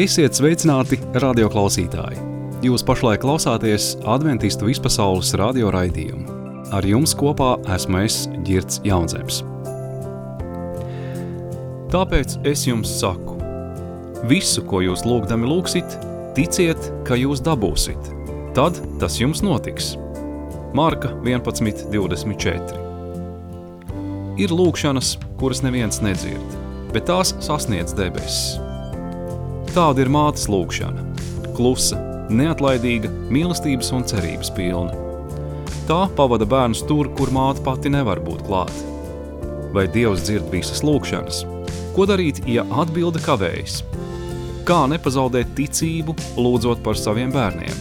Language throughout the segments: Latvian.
Esiet sveicināti, radioklausītāji! Jūs pašlaik klausāties Adventistu vispasaules radio raidījumu. Ar jums kopā esmu es, Ģirds Jaunzems. Tāpēc es jums saku, visu, ko jūs lūgdami lūgsit, ticiet, ka jūs dabūsit. Tad tas jums notiks. Marka 11:24. Ir lūgšanas, kuras neviens nedzird, bet tās sasniedz debesis. Tāda ir mātes lūgšana. Klusa, neatlaidīga, mīlestības un cerības pilna. Tā pavada bērnus tur, kur māte pati nevar būt klāt. Vai Dievs dzird visas lūgšanas? Ko darīt, ja atbilde kavējas? Kā nepazaudēt ticību, lūdzot par saviem bērniem?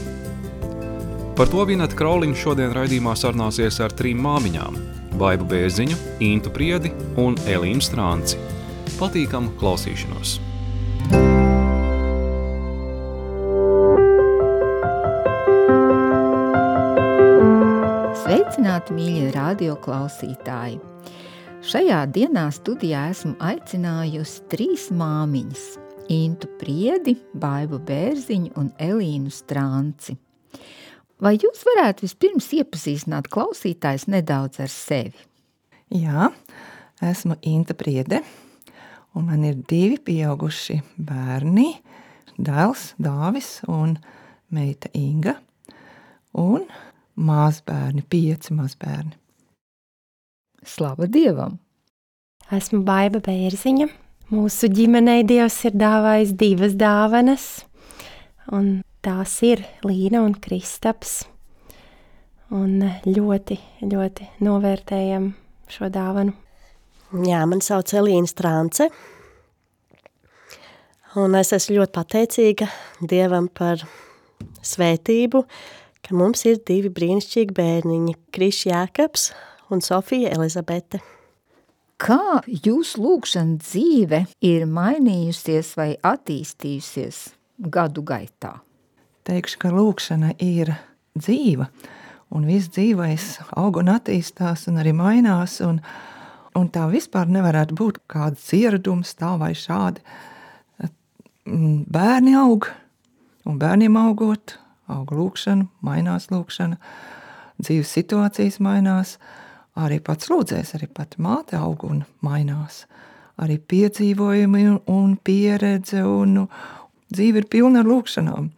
Par to Vineta Krauliņa šodien raidījumā sarunāsies ar 3 māmiņām – Baibu Bērziņu, Intu Priedi un Elīnu Strānci. Patīkamu klausīšanos! Sveicināti, mīļie radio klausītāji! Šajā dienā studijā esmu aicinājusi 3 māmiņas – Intu Priedi, Baibu Bērziņu un Elīnu Strānci. Vai jūs varētu vispirms iepazīstināt klausītājus nedaudz ar sevi? Jā, esmu Inta Priede, un man ir 2 pieauguši bērni, dēls Dāvis un meita Inga, un mazbērni, 5 mazbērni. Slava Dievam! Esmu Baiba Bērziņa. Mūsu ģimenei Dievs ir dāvājis 2 dāvanas, un tās ir Līna un Kristaps. Un ļoti, ļoti novērtējam šo dāvanu. Jā, man sauc Elīna Strānce. Un es esmu ļoti pateicīga Dievam par svētību, ka mums ir 2 brīnišķīgi bērniņi – Krišs Jākaps un Sofija Elizabete. Kā jūsu lūgšana dzīve ir mainījusies vai attīstījusies gadu gaitā? Teikšu, ka lūgšana ir dzīva, un viss dzīvais aug un attīstās un arī mainās, un tā vispār nevarētu būt kāds ieradums tā vai šādi. Bērni aug, un bērniem augot, aug lūgšana, mainās lūgšana, dzīves situācijas mainās, arī pats lūdzējs, arī pat māte aug un mainās. Arī piedzīvojumi un pieredze, un dzīve ir pilna ar lūgšanām.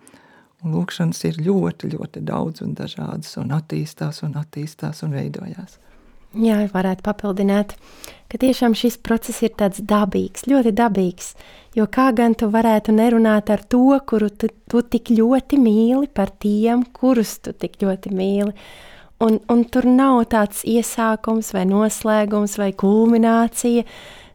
Un lūgšanas ir ļoti, ļoti daudz un dažādas, un attīstās un veidojās. Jā, varētu papildināt, ka tiešām šis process ir tāds dabīgs, ļoti dabīgs, jo kā gan tu varētu nerunāt ar to, kuru tu tik ļoti mīli, par tiem, kurus tu tik ļoti mīli. Un tur nav tāds iesākums vai noslēgums vai kulminācija.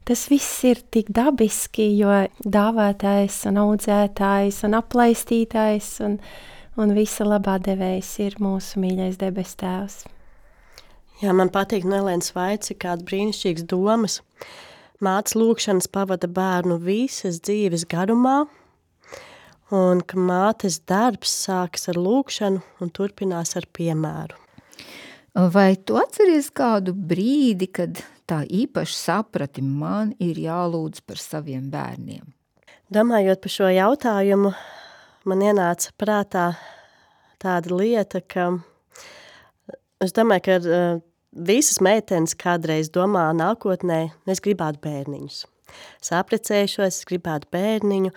Tas viss ir tik dabiski, jo dāvātājs un audzētājs un aplaistītājs un visa labā devējs ir mūsu mīļais debes tēvs. Jā, man patīk Nelēnas Vaici, kāda brīnišķīgas domas. Mātes lūgšanas pavada bērnu visas dzīves garumā, un ka mātes darbs sākas ar lūgšanu un turpinās ar piemēru. Vai tu atceries kādu brīdi, kad tā īpaši saprati, man ir jālūdz par saviem bērniem? Domājot par šo jautājumu, man ienāca prātā tāda lieta, ka es domāju, ka visas meitenes kādreiz domā nākotnē, es gribētu bērniņus. Es apprecējušos, es gribētu bērniņu,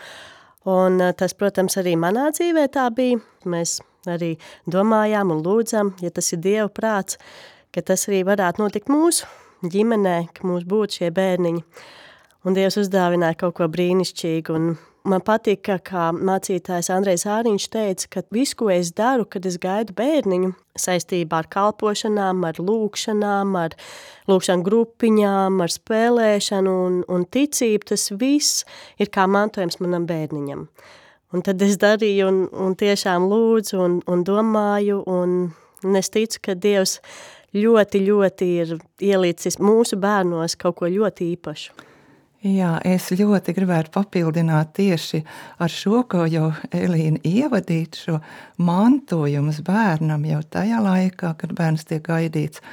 un tas, protams, arī manā dzīvē tā bija. Mēs arī domājām un lūdzam, ja tas ir Dieva prāts, ka tas arī varētu notikt mūsu ģimenē, ka mums būtu šie bērniņi. Un Dievs uzdāvināja kaut ko brīnišķīgu. Un man patīk, kā mācītājs Andrejs Āriņš teica, ka visu, ko es daru, kad es gaidu bērniņu, saistībā ar kalpošanām, ar lūgšanām, ar lūgšanu grupiņām, ar spēlēšanu un ticību, tas viss ir kā mantojums manam bērniņam. Un tad es darīju un tiešām lūdzu un domāju, un es ticu, ka Dievs ļoti, ļoti ir ielicis mūsu bērnos kaut ko ļoti īpašu. Jā, es ļoti gribētu papildināt tieši ar šo, ko jau Elīna ievadīt, šo mantojumus bērnam jau tajā laikā, kad bērns tiek gaidīts,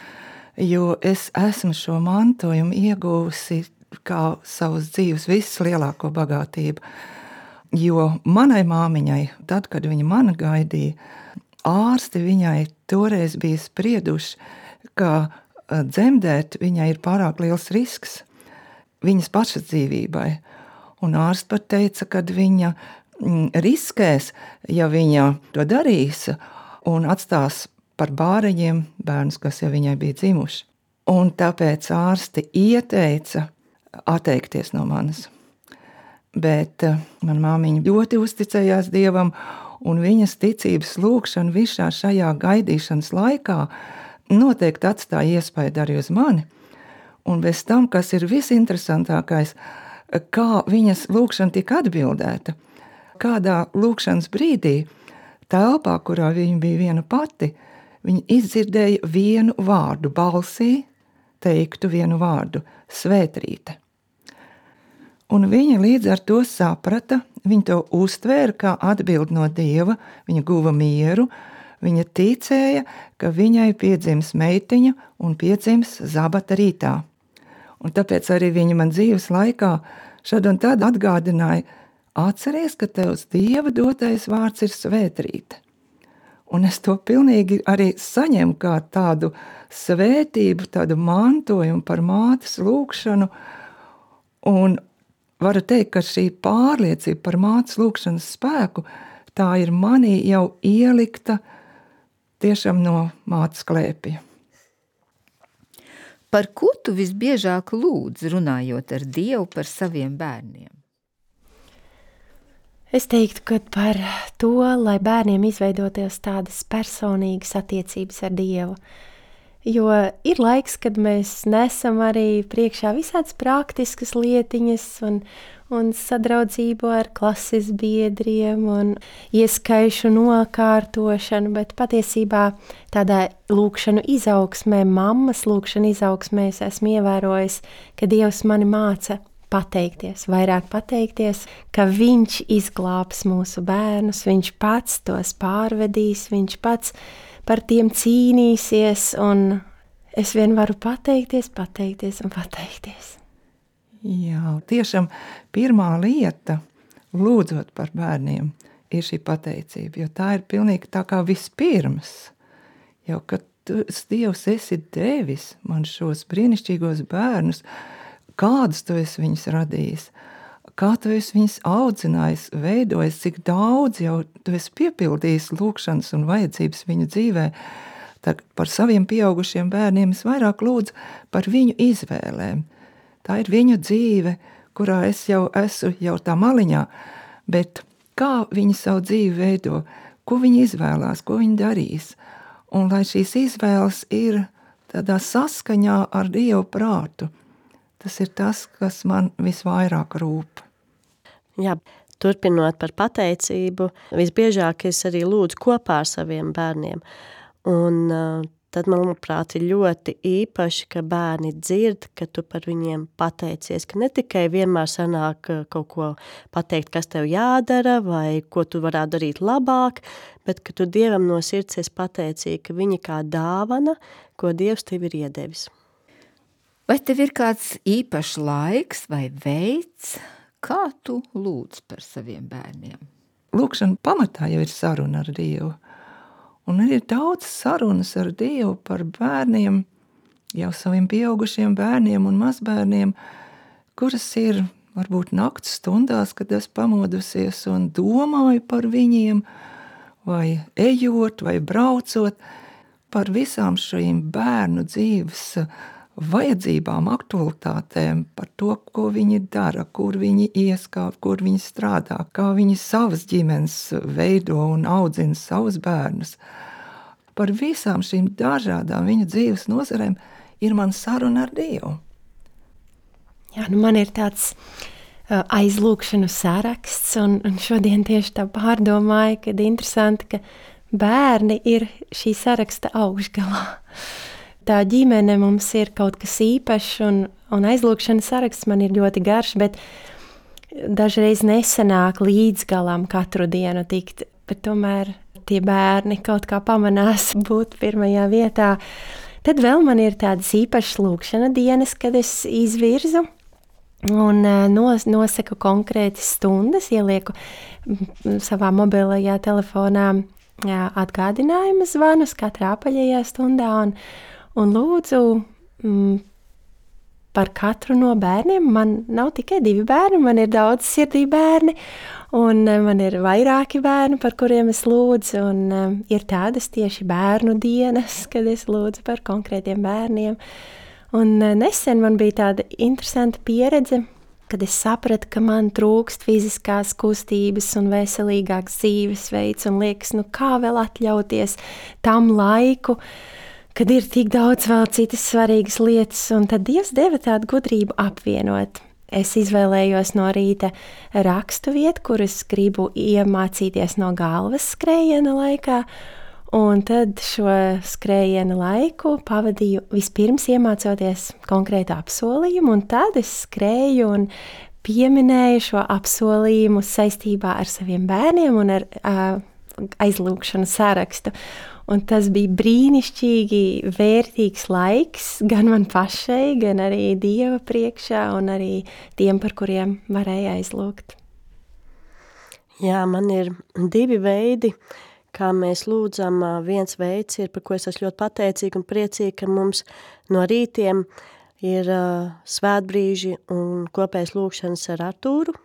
jo es esmu šo mantojumu ieguvusi kā savas dzīves vislielāko bagātību. Jo manai māmiņai, tad, kad viņa mani gaidīja, ārsti viņai toreiz bija sprieduši, ka dzemdēt viņai ir pārāk liels risks viņas pašas dzīvībai. Un ārsts pat teica, ka viņa riskēs, ja viņa to darīs un atstās par bāreņiem bērnus, kas jau viņai bija dzimuši. Un tāpēc ārsti ieteica atteikties no manis. Bet man māmiņa ļoti uzticējās Dievam, un viņas ticības lūkšana visā šajā gaidīšanas laikā noteikti atstāja iespaidu arī uz mani. Un bez tam, kas ir visinteresantākais, kā viņas lūkšana tika atbildēta. Kādā lūkšanas brīdī, telpā, kurā viņa bija viena pati, viņa izdzirdēja vienu vārdu balsī, teiktu vienu vārdu – Svētrīte. Un viņa līdz ar to saprata, viņa to uztvēra kā atbildi no Dieva, viņa guva mieru, viņa ticēja, ka viņai piedzims meitiņa un piedzims Zabata rītā. Un tāpēc arī viņa man dzīves laikā šad un tad atgādināja, atceries, ka tevs Dieva dotais vārds ir Svētrīte. Un es to pilnīgi arī saņemu kā tādu svētību, tādu mantojumu par mātes lūkšanu, un varu teikt, ka šī pārliecība par mātes lūkšanas spēku, tā ir manī jau ielikta tiešām no mātes klēpja. Par ko tu visbiežāk lūdz, runājot ar Dievu par saviem bērniem? Es teiktu, ka par to, lai bērniem izveidoties tādas personīgas attiecības ar Dievu. Jo ir laiks, kad mēs nesam arī priekšā visādas praktiskas lietiņas un sadraudzību ar klases biedriem un ieskaišu nokārtošanu, bet patiesībā tādā lūkšanu izaugsmē, mammas lūkšanu izaugsmē es esmu ievērojis, ka Dievs mani māca pateikties, vairāk pateikties, ka viņš izglābs mūsu bērnus, viņš pats tos pārvedīs, viņš pats par tiem cīnīsies, un es vien varu pateikties un pateikties. Jā, tiešām pirmā lieta, lūdzot par bērniem, ir šī pateicība, jo tā ir pilnīgi tā kā vispirms. Jau, kad Dievs esi devis man šos brīnišķīgos bērnus, kādus tu esi viņus radījis, kā tu esi viņus audzinājis, veidojis, cik daudz jau tu esi piepildījis lūkšanas un vajadzības viņu dzīvē. Tad par saviem pieaugušiem bērniem es vairāk lūdzu par viņu izvēlēm. Tā ir viņu dzīve, kurā es jau esmu jau tā maliņā, bet kā viņi savu dzīvi veido, ko viņi izvēlās, ko viņi darīs. Un lai šīs izvēles ir tādā saskaņā ar Dievu prātu, tas ir tas, kas man visvairāk rūp. Jā, turpinot par pateicību, visbiežāk es arī lūdzu kopā ar saviem bērniem. Un tad, manuprāt, ir ļoti īpaši, ka bērni dzird, ka tu par viņiem pateicies, ka ne tikai vienmēr sanāk kaut ko pateikt, kas tev jādara vai ko tu varētu darīt labāk, bet ka tu Dievam no sirds esi pateicīgi, ka viņi kā dāvana, ko Dievs tev ir iedevis. Vai tev ir kāds īpašs laiks vai veids, kā tu lūdz par saviem bērniem? Lūkšana pamatā jau ir saruna ar Dievu. Un ir daudz sarunas ar Dievu par bērniem, jau saviem pieaugušiem bērniem un mazbērniem, kuras ir varbūt nakts stundās, kad es pamodusies un domāju par viņiem, vai ejot, vai braucot, par visām šīm bērnu dzīves vajadzībām, aktualitātēm, par to, ko viņi dara, kur viņi ieskāp, kur viņi strādā, kā viņi savas ģimenes veido un audzina savus bērnus. Par visām šīm dažādām viņu dzīves nozarēm ir man saruna ar Dievu. Jā, man ir tāds aizlūkšanu saraksts, un šodien tieši tā pārdomāju, kad interesanti, ka bērni ir šī saraksta augšgalā. Tā ģimene mums ir kaut kas īpašs, un aizlūkšanas saraksts man ir ļoti garš, bet dažreiz nesanāk līdz galam katru dienu tikt, bet tomēr tie bērni kaut kā pamanās būt pirmajā vietā. Tad vēl man ir tādas īpašas lūkšana dienas, kad es izvirzu un nosaku konkrētas stundas, ielieku savā mobilajā telefonā atgādinājuma zvanus katrā apaļajā stundā un lūdzu par katru no bērniem. Man nav tikai 2 bērni, man ir daudz sirdī bērni, un man ir vairāki bērni, par kuriem es lūdzu, un ir tādas tieši bērnu dienas, kad es lūdzu par konkrētiem bērniem. Un nesen man bija tāda interesanta pieredze, kad es sapratu, ka man trūkst fiziskās kustības un veselīgāks dzīvesveids, un liekas, kā vēl atļauties tam laiku, kad ir tik daudz vēl citas svarīgas lietas, un tad Dievs deva tādu gudrību apvienot. Es izvēlējos no rīta rakstu vietu, kuras gribu iemācīties no galvas skrējiena laikā, un tad šo skrējiena laiku pavadīju vispirms iemācoties konkrētu apsolījumu, un tad es skrēju un pieminēju šo apsolījumu saistībā ar saviem bērniem un ar aizlūgšanu sarakstu. Un tas bija brīnišķīgi vērtīgs laiks gan man pašai, gan arī Dieva priekšā un arī tiem, par kuriem varēja aizlūgt. Jā, man ir 2 veidi, kā mēs lūdzam. Viens veids ir, par ko es esmu ļoti pateicīga un priecīga, ka mums no rītiem ir svētbrīži un kopējas lūgšanas ar Artūru,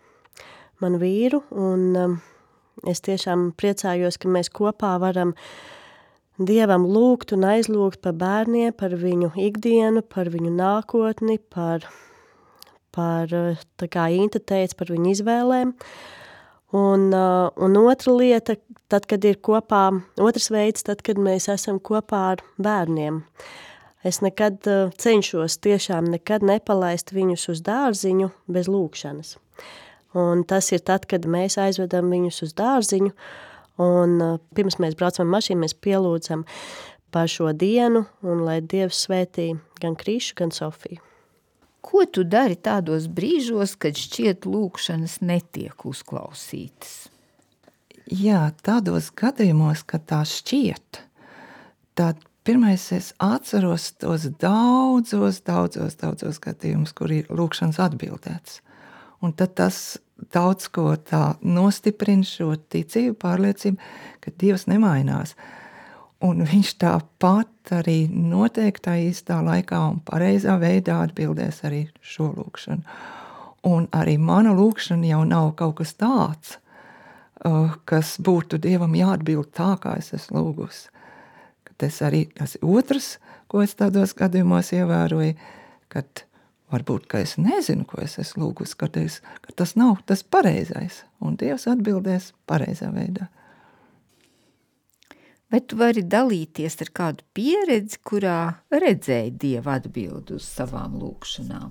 manu vīru, un es tiešām priecājos, ka mēs kopā varam Dievam lūgt un aizlūgt par bērniem, par viņu ikdienu, par viņu nākotni, par tā kā Inta teica, par viņu izvēlēm. Un otra lieta, tad, kad ir kopā, otrs veids, tad, kad mēs esam kopā ar bērniem. Es nekad cenšos tiešām nekad nepalaist viņus uz dārziņu bez lūgšanas. Un tas ir tad, kad mēs aizvedam viņus uz dārziņu, un pirms mēs braucam ar mašīnu, mēs pielūdzam par šo dienu, un lai Dievs svētī gan Krišu, gan Sofiju. Ko tu dari tādos brīžos, kad šķiet lūgšanas netiek uzklausītas? Jā, tādos gadījumos, kad tā šķiet, tad pirmais es atceros tos daudzos gadījumus, kur ir lūgšanas atbildēts. Un tad tas daudz ko tā nostiprina šo ticību, pārliecību, ka Dievs nemainās. Un viņš tāpat arī noteiktā īstā laikā un pareizā veidā atbildēs arī šo lūgšanu. Un arī mana lūgšana jau nav kaut kas tāds, kas būtu Dievam jāatbild tā, kā es esmu lūgusi. Tas ir otrs, ko es tādos gadījumos ievēroju, kad varbūt, ka es nezinu, ko es esmu lūgusi, ka tas nav tas pareizais, un Dievs atbildēs pareizā veidā. Vai tu vari dalīties ar kādu pieredzi, kurā redzēji Dieva atbildi uz savām lūgšanām?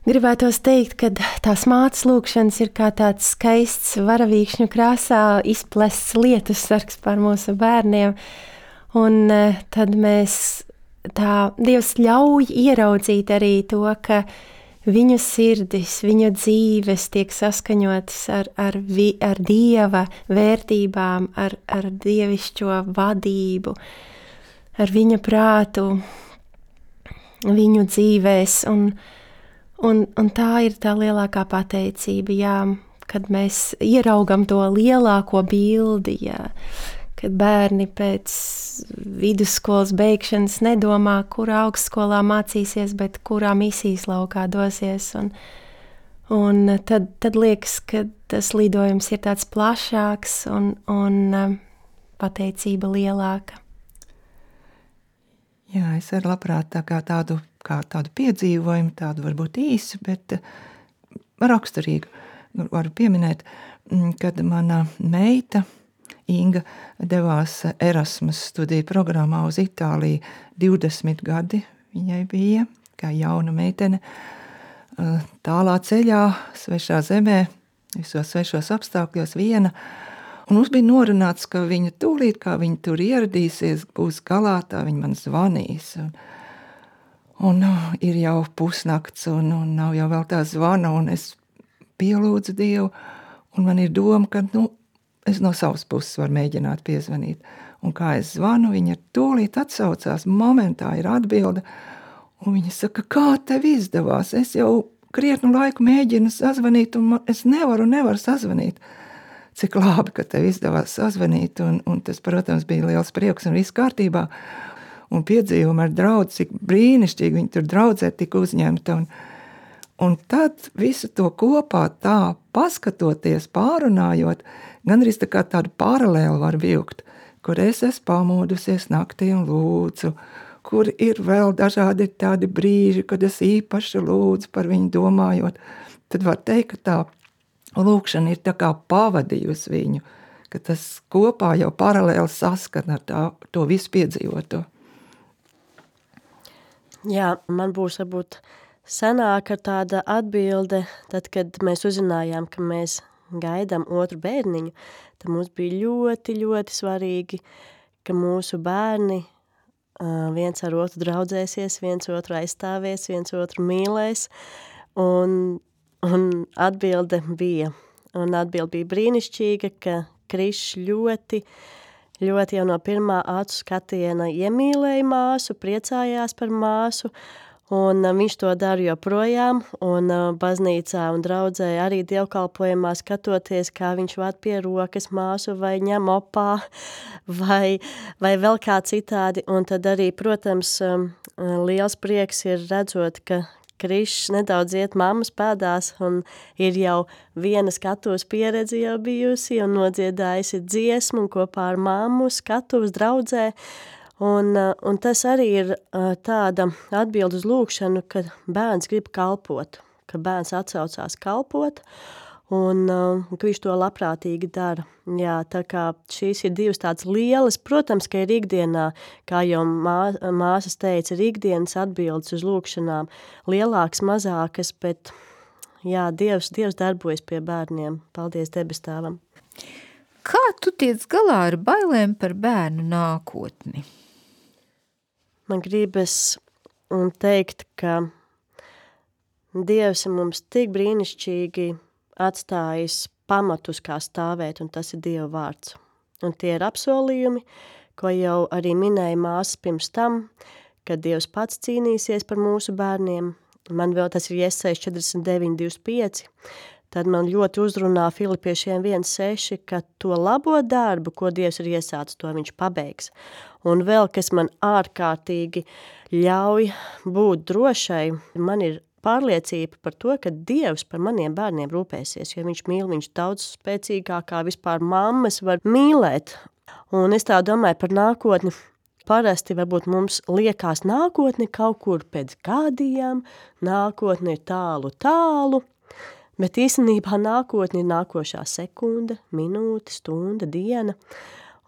Gribētos teikt, ka tās mātes lūgšanas ir kā tāds skaists varavīkšņu krāsā izplests lietussargs par mūsu bērniem, un tad Dievs ļauj ieraudzīt arī to, ka viņu sirdis, viņu dzīves tiek saskaņotas ar Dieva vērtībām, ar dievišķo vadību, ar viņa prātu, viņu dzīvēs. Un tā ir tā lielākā pateicība, jā, kad mēs ieraugam to lielāko bildi, jā, kad bērni pēc vidusskolas beigšanas nedomā, kurā augstskolā mācīsies, bet kurā misijas laukā dosies. Un tad liekas, ka tas lidojums ir tāds plašāks un pateicība lielāka. Jā, es arī labprāt tādu piedzīvojumu, tādu varbūt īsu, bet raksturīgu. Varu pieminēt, kad mana meita Inga devās Erasmus studiju programmā uz Itāliju. 20 gadi viņai bija, kā jauna meitene, tālā ceļā, svešā zemē, visos svešos apstākļos viena. Un mums bija norunāts, ka viņa tūlīt, kā viņa tur ieradīsies, būs galā, tā viņa man zvanīs. Un ir jau pusnakts, un nav jau vēl tā zvana, un es pielūdzu Dievu, un man ir doma, ka, es no savas puses varu mēģināt piezvanīt. Un kā es zvanu, viņa tūlīt atsaucās, momentā ir atbilde, un viņa saka, kā tev izdevās? Es jau krietnu laiku mēģinu sazvanīt, un es nevaru sazvanīt. Cik labi, ka tev izdevās sazvanīt, un tas, protams, bija liels prieks un viss kārtībā. Un piedzīvumi ar draudzi, cik brīnišķīgi viņi tur draudzē tika uzņemta. Un tad visu to kopā tā paskatoties, pārunājot, gandrīz tā kā tādu paralēli var vilkt, kur es esmu pamodusies naktī un lūdzu, kur ir vēl dažādi tādi brīži, kad es īpaši lūdzu par viņu domājot. Tad var teikt, ka tā lūkšana ir tā kā pavadījusi viņu, ka tas kopā jau paralēli saskan ar to visu piedzīvoto. Jā, man būs varbūt senāka tāda atbilde, tad, kad mēs uzzinājām, ka mēs gaidām otru bērniņu, tad mums bija ļoti, ļoti svarīgi, ka mūsu bērni viens ar otru draudzēsies, viens otru aizstāvies, viens otru mīlēs, un atbilde bija brīnišķīga, ka Krišs ļoti jau no pirmā acu skatiena iemīlēja māsu, priecājās par māsu, un viņš to dara joprojām, un baznīcā un draudzē arī dievkalpojumā skatoties, kā viņš vād pie rokas māsu vai ņem opā, vai vēl kā citādi, un tad arī, protams, liels prieks ir redzot, ka Krišs nedaudz iet mammas pēdās, un ir jau viena skatuves pieredze jau bijusi, un nodziedājusi dziesmu, un kopā ar mammu skatuves draudzē, un tas arī ir tāda atbilde uz lūkšanu, ka bērns grib kalpot, ka bērns atsaucās kalpot, un ka viņš to labprātīgi dara. Jā, tā kā šīs ir divas tādas lielas, protams, ka ir ikdienā, kā jau māsas teica, ir ikdienas atbildes uz lūkšanām, lielākas, mazākas, bet jā, Dievs darbojas pie bērniem. Paldies debestāvam. Kā tu tiec galā ar bailēm par bērnu nākotni? Man gribas teikt, ka Dievs ir mums tik brīnišķīgi atstājis pamatus, kā stāvēt, un tas ir Dieva vārds. Un tie ir apsolījumi, ko jau arī minēja māsas pirms tam, kad Dievs pats cīnīsies par mūsu bērniem. Man vēl tas ir Jesajas 49:25. Tad man ļoti uzrunā Filipiešiem 1:6, ka to labo darbu, ko Dievs ir iesācis, to viņš pabeigs. Un vēl, kas man ārkārtīgi ļauj būt drošai, man ir pārliecība par to, ka Dievs par maniem bērniem rūpēsies, jo viņš mīl viņš daudz spēcīgāk, kā vispār mammas var mīlēt. Un es tā domāju par nākotni. Parasti varbūt mums liekas nākotni kaut kur pēc gadiem, nākotni ir tālu, bet īstenībā nākotni ir nākošā sekunde, minūte, stunda, diena.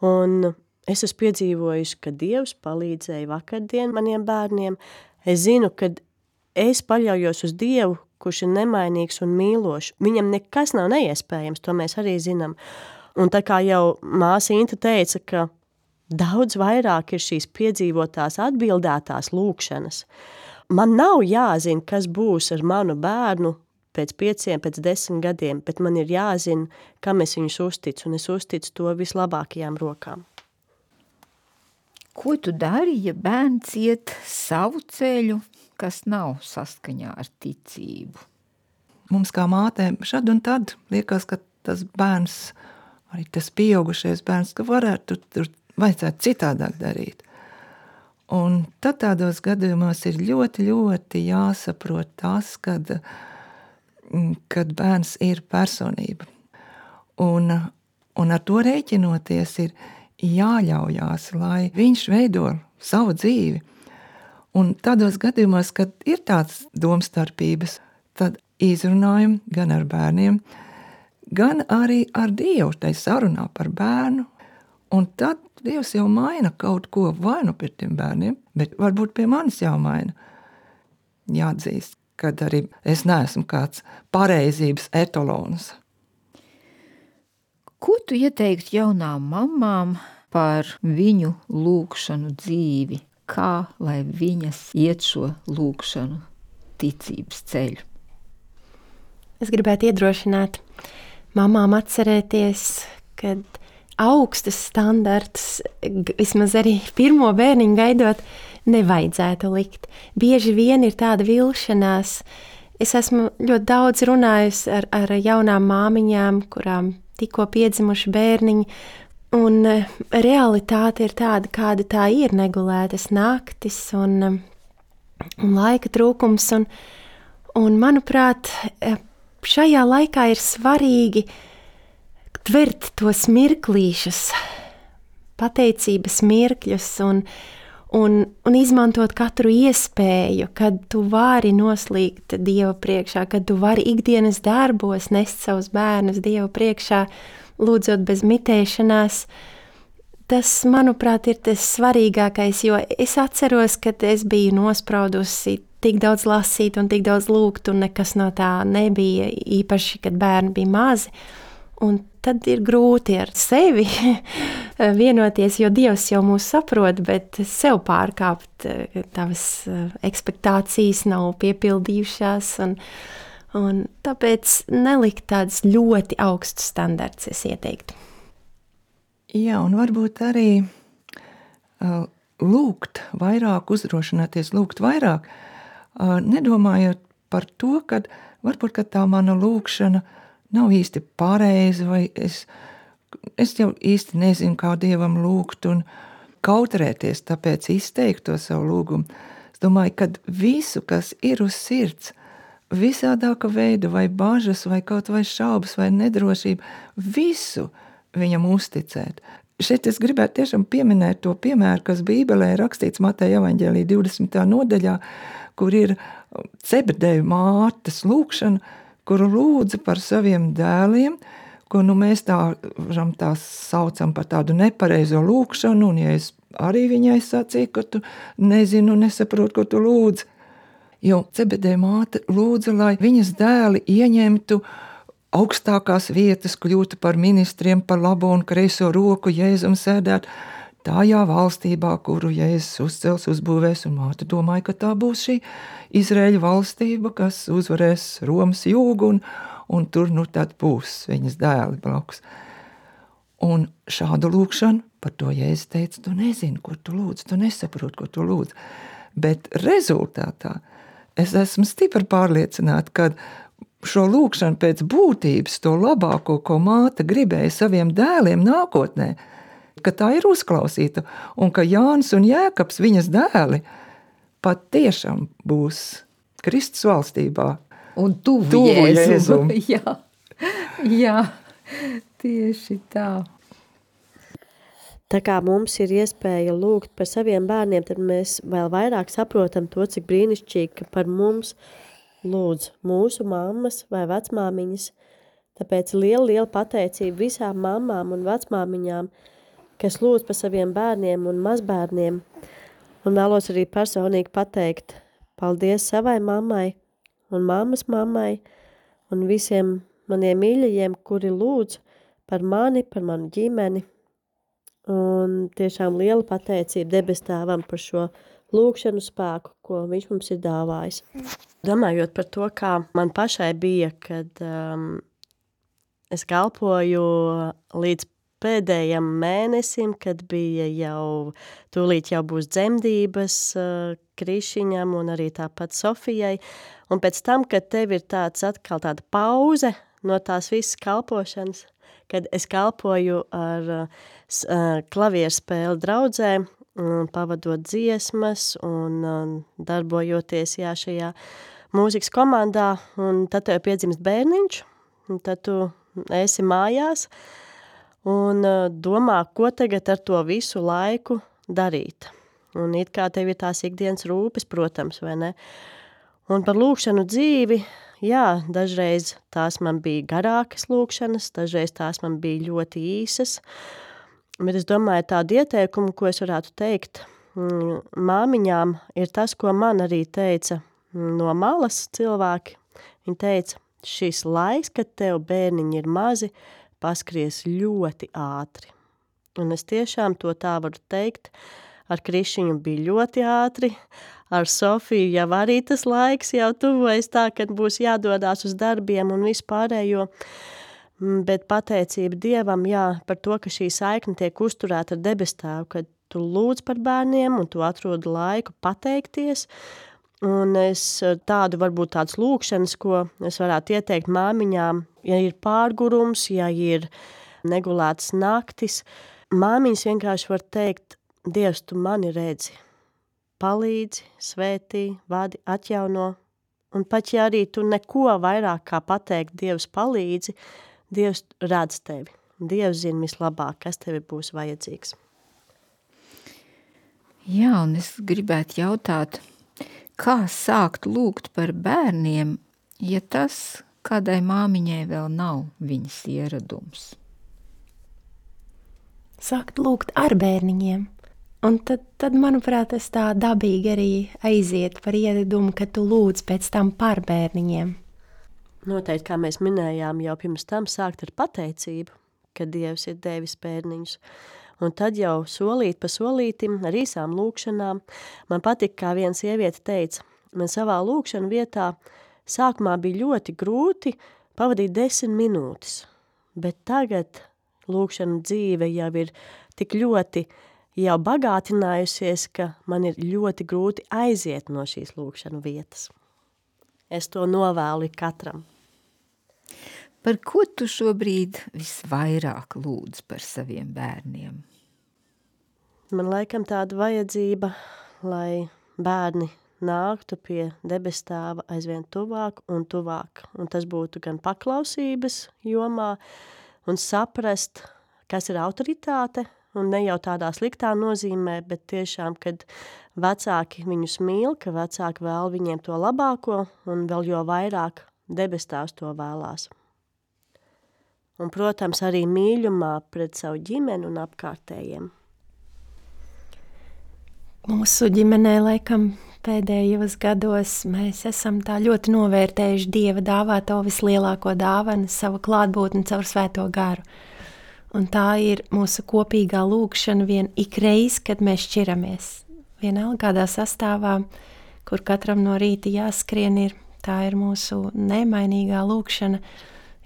Un es esmu piedzīvojusi, ka Dievs palīdzēja vakardien maniem bērniem. Es zinu, ka es paļaujos uz Dievu, kurš ir nemainīgs un mīlošs. Viņam nekas nav neiespējams, to mēs arī zinām. Un tā kā jau māsa Inta teica, ka daudz vairāk ir šīs piedzīvotās atbildētās lūkšanas. Man nav jāzina, kas būs ar manu bērnu pēc 5, pēc 10 gadiem, bet man ir jāzina, kam es viņus uzticu, un es uzticu to vislabākajām rokām. Ko tu dari, ja bērns iet savu ceļu, kas nav saskaņā ar ticību? Mums kā mātēm šad un tad liekas, ka tas bērns, arī tas pieaugušais bērns, ka varētu tur vajadzētu citādāk darīt. Un tad tādos gadījumos ir ļoti, ļoti jāsaprot tas, kad bērns ir personība. Un ar to rēķinoties ir jāļaujās, lai viņš veido savu dzīvi. Un tādos gadījumos, kad ir tāds domstarpības, tad izrunājam gan ar bērniem, gan arī ar Dievu, tai sarunā par bērnu. Un tad Dievs jau maina kaut ko vai nu pie tiem bērniem, bet varbūt pie manis jau maina. Jāatzīst, kad arī es neesmu kāds pareizības etalons. Ko tu ieteiktu jaunām mammām par viņu lūkšanu dzīvi? Kā lai viņas iet šo lūkšanu ticības ceļu? Es gribētu iedrošināt mamām atcerēties, ka augstas standartus, vismaz arī pirmo bērniņu gaidot, nevajadzētu likt. Bieži vien ir tāda vilšanās, es esmu ļoti daudz runājusi ar jaunām māmiņām, kurām tikko piedzimuši bērniņi, un realitāte ir tāda, kāda tā ir, negulētas naktis un laika trūkums, un manuprāt, šajā laikā ir svarīgi tvert tos mirklīšus, pateicības mirkļus un izmantot katru iespēju, kad tu vari noslīgt Dieva priekšā, kad tu vari ikdienas darbos nest savus bērnus Dieva priekšā, lūdzot bez mitēšanās. Tas, manuprāt, ir tas svarīgākais, jo es atceros, kad es biju nospraudusi tik daudz lasīt un tik daudz lūgt, un nekas no tā nebija, īpaši, kad bērni bija mazi. Un tad ir grūti ar sevi vienoties, jo Dievs jau mūs saprot, bet sev pārkāpt, tavas ekspektācijas nav piepildījušās, un tāpēc nelikt tādus ļoti augstus standarts, es ieteiktu. Jā, un varbūt arī lūgt vairāk, uzdrošināties lūgt vairāk, nedomājot par to, ka varbūt, ka tā mana lūgšana nav īsti pareizi, vai es jau īsti nezinu, kā Dievam lūgt un kautrēties, tāpēc izteikt to savu lūgumu. Es domāju, ka visu, kas ir uz sirds, visādāka veida, vai bažas, vai kaut vai šaubas, vai nedrošība, visu viņam uzticēt. Šeit es gribētu tiešām pieminēt to piemēru, kas Bībelē ir rakstīts Mateja evaņģēlī 20. nodaļā, kur ir Cebedeju mātes lūgšana, kuru lūdza par saviem dēliem, ko mēs tā saucam par tādu nepareizo lūgšanu, un ja es arī viņai sacīju, ka tu nezinu, nesaprot, ko tu lūdzi. Jo Cebedeja māte lūdza, lai viņas dēli ieņemtu augstākās vietas, kļūtu par ministriem, par labo un kreiso roku, Jēzum sēdēt tajā valstībā, kuru Jēzus uzcels, uzbūvēs, un māte domāja, ka tā būs šī Izraēļa valstība, kas uzvarēs Romas jūgu, un tur tad būs viņas dēli blakus. Un šādu lūgšanu, par to Jēzus teica, tu nezini, ko tu lūdz, tu nesaproti, ko tu lūdz. Bet rezultātā es esmu stipri pārliecināta, ka šo lūgšanu pēc būtības, to labāko, ko māte gribēja saviem dēliem nākotnē, ka tā ir uzklausīta, un ka Jānis un Jēkabs, viņas dēli, pat tiešām būs Kristus valstībā. Un tuvu Jēzum. Jā, tieši tā. Tā kā mums ir iespēja lūgt par saviem bērniem, tad mēs vēl vairāk saprotam to, cik brīnišķīgi, ka par mums lūdz mūsu mammas vai vecmāmiņas. Tāpēc liela pateicība visām mammām un vecmāmiņām, kas lūdz par saviem bērniem un mazbērniem. Un vēlos arī personīgi pateikt paldies savai mammai un mammas mammai un visiem maniem mīļajiem, kuri lūdz par mani, par manu ģimeni. Un tiešām liela pateicība debestāvam par šo lūgšanu spēku, ko viņš mums ir dāvājis. Domājot par to, kā man pašai bija, kad es kalpoju līdz pēdējam mēnesim, kad bija tūlīt jau būs dzemdības Krišiņam un arī tāpat Sofijai. Un pēc tam, kad tev ir atkal tāda pauze no tās visas kalpošanas, kad es kalpoju ar klavierspēli draudzē, pavadot dziesmas un darbojoties šajā mūzikas komandā, un tad tev piedzimst bērniņš, un tad tu esi mājās, un domā, ko tagad ar to visu laiku darīt. Un it kā tev ir tās ikdienas rūpes, protams, vai ne? Un par lūgšanu dzīvi, jā, dažreiz tās man bija garākas lūgšanas, dažreiz tās man bija ļoti īsas, bet es domāju tādu ieteikumu, ko es varētu teikt māmiņām, ir tas, ko man arī teica no malas cilvēki. Viņi teica, šis laiks, kad tev bērniņi ir mazi, paskries ļoti ātri. Un es tiešām to tā varu teikt. Ar Krišiņu bija ļoti ātri, ar Sofiju jau arī tas laiks jau tuvojas tā, kad būs jādodās uz darbiem un vispārējo. Bet pateicība Dievam, jā, par to, ka šī saikne tiek uzturēta ar debestāvu, kad tu lūdz par bērniem un tu atrodi laiku pateikties Un tādu varbūt tādas lūkšanas, ko es varētu ieteikt māmiņām, ja ir pārgurums, ja ir negulētas naktis. Māmiņas vienkārši var teikt, Dievs, tu mani redzi, palīdzi, svētī, vadi, atjauno. Un pat ja arī tu neko vairāk kā pateikt, Dievs palīdzi, Dievs redz tevi. Dievs zina vislabāk, kas tevi būs vajadzīgs. Jā, un es gribētu jautāt, kā sākt lūgt par bērniem, ja tas kādai māmiņai vēl nav viņas ieradums? Sākt lūgt ar bērniņiem. Un tad, manuprāt, tas tā dabīgi arī aiziet par ieradumu, ka tu lūdz pēc tam par bērniņiem. Noteikti, kā mēs minējām, jau pirms tam sākt ar pateicību, ka Dievs ir devis bērniņus. Un tad jau solīt pa solītim ar īsām lūkšanām. Man patika, kā viena sieviete teica, man savā lūkšana vietā sākumā bija ļoti grūti pavadīt 10 minūtes, bet tagad lūkšana dzīve jau ir tik ļoti jau bagātinājusies, ka man ir ļoti grūti aiziet no šīs lūkšanu vietas. Es to novēlu katram. Par ko tu šobrīd visvairāk lūdz par saviem bērniem? Man laikam tāda vajadzība, lai bērni nāktu pie debes tēva aizvien tuvāk un tuvāk. Un tas būtu gan paklausības jomā un saprast, kas ir autoritāte, un ne jau tādā sliktā nozīmē, bet tiešām, kad vecāki viņus mīl, ka vecāki vēl viņiem to labāko, un vēl jo vairāk debes tēvs to vēlās. Un, protams, arī mīļumā pret savu ģimeni un apkārtējiem. Mūsu ģimenē, laikam, pēdējos gados mēs esam tā ļoti novērtējuši Dieva dāvāto vislielāko dāvanu, savu klātbūtni caur svēto garu. Un tā ir mūsu kopīgā lūkšana vien ikreiz, kad mēs šķiramies. Vienalga kādā sastāvā, kur katram no rīta jāskrien tā ir mūsu nemainīgā lūkšana,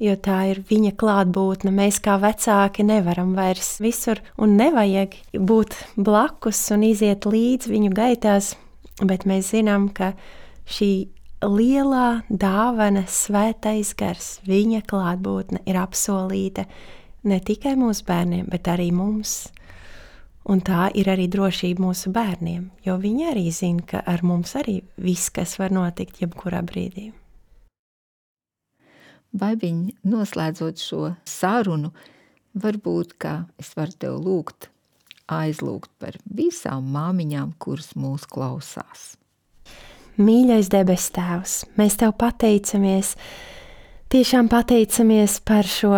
jo tā ir viņa klātbūtne. Mēs kā vecāki nevaram vairs visur un nevajag būt blakus un iziet līdz viņu gaitās, bet mēs zinām, ka šī lielā dāvana svētais gars, viņa klātbūtne ir apsolīta ne tikai mūsu bērniem, bet arī mums. Un tā ir arī drošība mūsu bērniem, jo viņi arī zina, ka ar mums arī viss, kas var notikt jebkurā brīdī. Baibiņ, noslēdzot šo sarunu, varbūt, ka es varu tev aizlūgt par visām māmiņām, kuras mūs klausās. Mīļais debes tēvs, mēs tev pateicamies, tiešām pateicamies par šo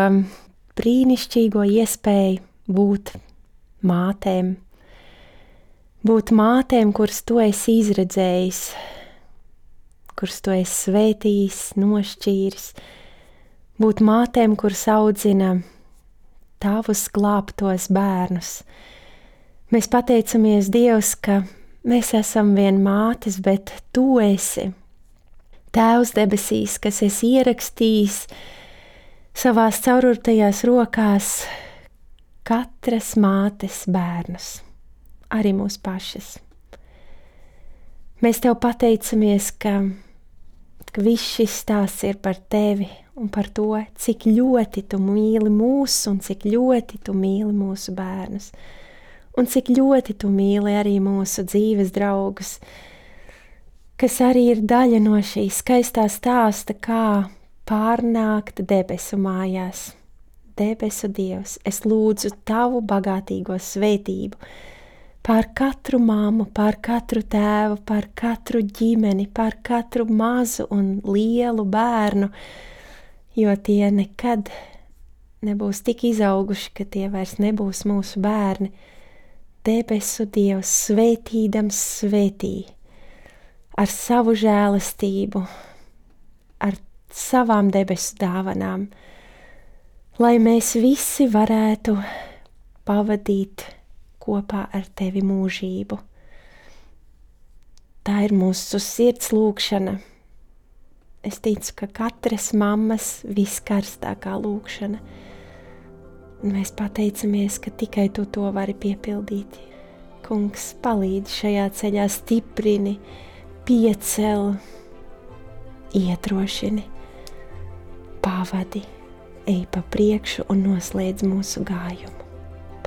brīnišķīgo iespēju būt mātēm, kuras tu esi izredzējis, kuras tu esi svētījis, nošķīris, būt mātēm, kuras audzina tavus glābtos bērnus. Mēs pateicamies, Dievs, ka mēs esam vien mātes, bet tu esi Tēvs debesīs, kas esi ierakstījis savās caururtajās rokās katras mātes bērnus, arī mūsu pašas. Mēs tev pateicamies, ka viss šis stāsts ir par tevi un par to, cik ļoti tu mīli mūs un cik ļoti tu mīli mūsu bērnus. Un cik ļoti tu mīli arī mūsu dzīves draugus, kas arī ir daļa no šī skaistā stāsta, kā pārnākt debesu mājās. Debesu Dievs, es lūdzu tavu bagātīgo svētību pār katru mammu, pār katru tēvu, pār katru ģimeni, pār katru mazu un lielu bērnu, jo tie nekad nebūs tik izauguši, ka tie vairs nebūs mūsu bērni. Debesu Dievs svētīdams svētī ar savu žēlastību, ar savām debesu dāvanām, lai mēs visi varētu pavadīt kopā ar tevi mūžību. Tā ir mūsu sirds lūkšana. Es ticu, ka katras mammas viskarstākā lūkšana. Mēs pateicamies, ka tikai tu to vari piepildīt. Kungs, palīdzi šajā ceļā, stiprini, piecel, iedrošini, pavadi, ej pa priekšu un noslēdz mūsu gājumu.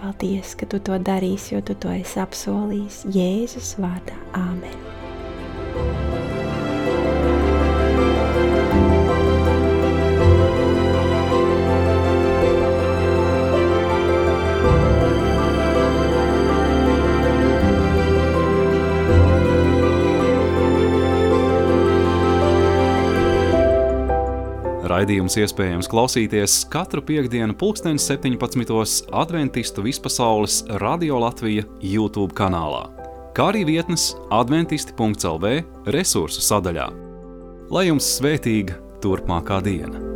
Paldies, ka tu to darīsi, jo tu to esi apsolījis Jēzus vārdā. Āmen. Raidījums iespējams klausīties katru piektdienu 17:00 Adventistu vispasaules Radio Latvija YouTube kanālā, kā arī vietnes adventisti.lv resursu sadaļā. Lai jums svētīga turpmākā diena!